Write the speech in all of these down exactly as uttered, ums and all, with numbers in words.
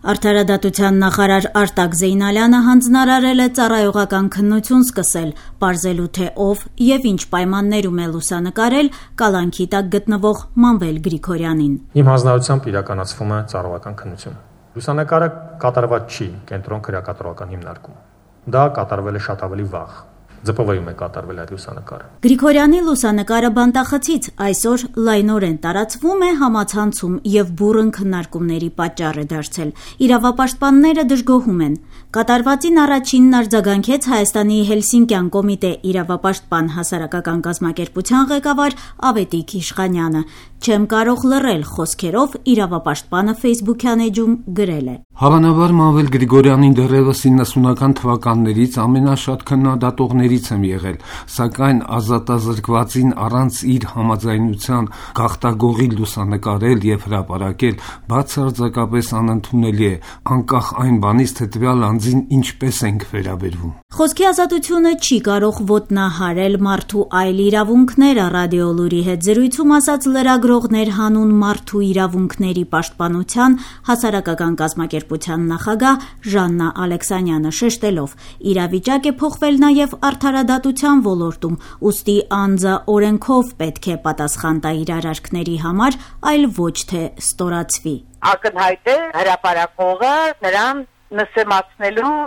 Արդարադատության նախարար Արտակ Զեյնալյանը հանձնարարել է ծառայողական քննություն սկսել, պարզելու թե ով եւ ինչ պայմաններում է լուսանկարել կալանքի տակ գտնվող Մանվել Գրիգորյանին։ Իմ հանձնարարությամբ իրականացվում է ծառայողական քննություն։ Լուսանկարը կատարված չի կենտրոն քրեակատարողական հիմնարկում։ Դա կատարվել է շատ ավելի վաղ։ Ձպվայում է կատարվել այդ լուսանկարը։ Գրիգորյանի լուսանկարը բանտախցից այսօր լայնորեն տարածվում է համացանցում եւ բուռն քննարկումների պատճառ է դարձել։ Իրավապաշտպանները դժգոհում են։ Կատարվածին առաջինն արձագանքեց Հայաստանի Հելսինկյան կոմիտե իրավապաշտպան հասարակական կազմակերպության ղեկավար Ավետիք Իշխանյանը։ Չեմ կարող լռել խոսքերով իրավապաշտպանը Facebook-յան էջում գրել է. Հավանաբար Մանվել Գրիգորյանին դեռևս իննսունական թվականներից ամենաշատ քննադատողներից եմ եղել, սակայն ազատազրկվածին առանց իր համաձայնության գաղտագողի լուսանկարել եւ հրապարակել բացարձակապես անընդունելի է, անկախ այն բանից, թե տվյալ անձին ինչպես ենք վերաբերվում։ Խոսքի ազատությունը չի կարող ոտնահարել մարդու այլ իրավունքները, Ռադիոլուրի հետ զրույցում ասաց լրագրողներ հանուն մարդու իրավունքների պաշտպանության հասարակական կազմակերպության նախագահ Ժաննա Ալեքսանյանը, շեշտելով. իրավիճակ է փոխվել նաև արդարադատության ոլորտում, ուստի անձը օրենքով պետք է պատասխան տա իր արարքների համար, այլ ոչ թե ստորացվի։ Ակնհայտ է հրապարակողը նրան նսեմացնելու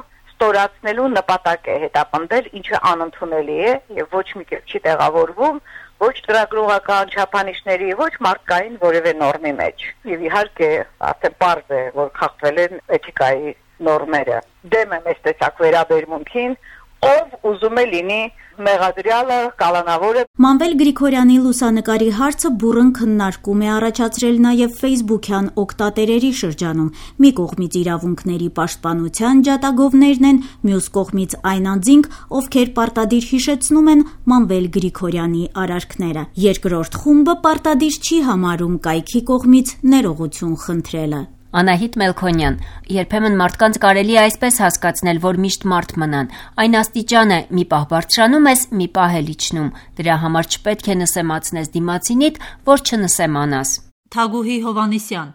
ստորացնելու նպատակ է հետապնդել, ինչը անընդունելի է եւ ոչ մի կերպ չի տեղավորվում ոչ ծրագրողական չափանիշների, ոչ մարդկային որևէ նորմի մեջ։ Եվ իհարկե, արդեն պարզ է, որ խախտվել են էթիկայի նորմերը։ Դեմ եմ այս տեսակ վերաբերմունքին, ով ուզում է լինի մեղադրյալը, կալանավորը։ Մանվել Գրիգորյանի լուսանկարի հարցը բուռն քննարկում է առաջացրել նաև Facebook-յան օգտատերերի շրջանում։ Մի կողմից իրավունքների պաշտպանության ջատագովներն են, մյուս կողմից այն անձինք, ովքեր պարտադիր հիշեցնում են Մանվել Գրիգորյանի արարքները։ Երկրորդ խումբը պարտադիր չի համարում կայքի կողմից ներողություն խնդրելը։ Անահիտ Մելքոնյան. երբեմն մարդկանց կարելի է այսպես հասկացնել, որ միշտ մարդ մնան։ Այն աստիճան է, մի պահ բարձրանում ես, մի պահ էլ իջնում։ Դրա համար չպետք է նսեմացնես դիմացինիդ, որ չնսեմանաս։ Թագուհի Հովանիսյան.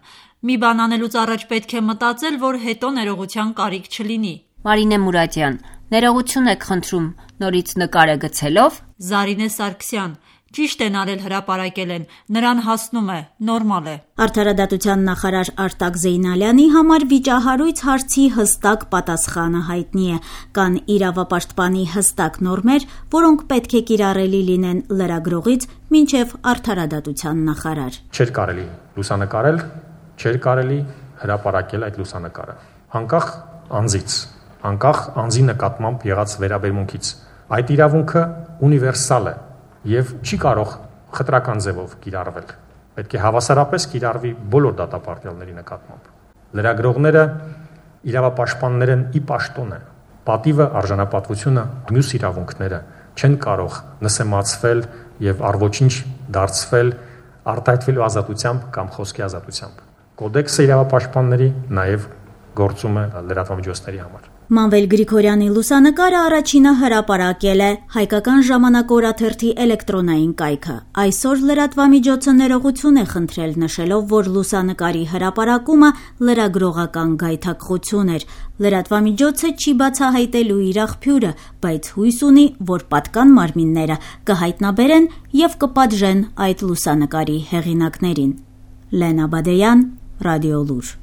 մի բան անելուց առաջ պետք է մտածել, որ հետո ներողության կարիք չլինի։ Մարինե Մուրադյան. ներողություն եք խնդրում, նորից նկարը գցելով։ Զարինե Սարգսյան. ճիշտ են արել հրապարակել են, նրան հասնում է, նորմալ է։ Արդարադատության նախարար Արտակ Զեյնալյանի համար վիճահարույց հարցի հստակ պատասխանը հայտնի է։ Կան իրավապաշտպանի հստակ նորմեր, որոնք պետք է կիրառելի լինեն լրագրողից մինչև արդարադատության նախարար։ Չէր կարելի լուսանկարել, չէր կարելի հրապարակել այդ լուսանկարը։ Անկախ անձից, անկախ անձի նկատմամբ եղած վերաբերմունքից։ Այդ իրավունքը ունիվերսալ է եւ չի կարող խտրական ձևով կիրառվել։ Պետք է հավասարապես կիրառվի բոլոր դատապարտյալների նկատմամբ։ Լրագրողները իրավապաշտպաններ են ի պաշտոն են։ Պատիվը, արժանապատվությունը, մյուս իրավունքները չեն կարող նսեմացվել եւ առոչինչ դարձվել արտահայտվելու ազատությամբ կամ խոսքի ազատությամբ։ Կոդեքսը իրավապաշտպանների նաեւ գործում է լրատվամիջոցների համար։ Մանվել Գրիգորյանի լուսանկարը առաջինը հրապարակել է Հայկական ժամանակ օրաթերթի էլեկտրոնային կայքը։ Այսօր լրատվամիջոցը ներողություն է խնդրել, նշելով, որ լուսանկարի հրապարակումը լրագրողական գայթակղություն էր։ Լրատվամիջոցը չի բացահայտելու իր աղբյուրը, բայց հույս ունի, որ պատկան մարմինները կհայտնաբերեն եւ կպատժեն այդ լուսանկարի հեղինակներին։ Լենա Բադեյան, Ռադիոլուր։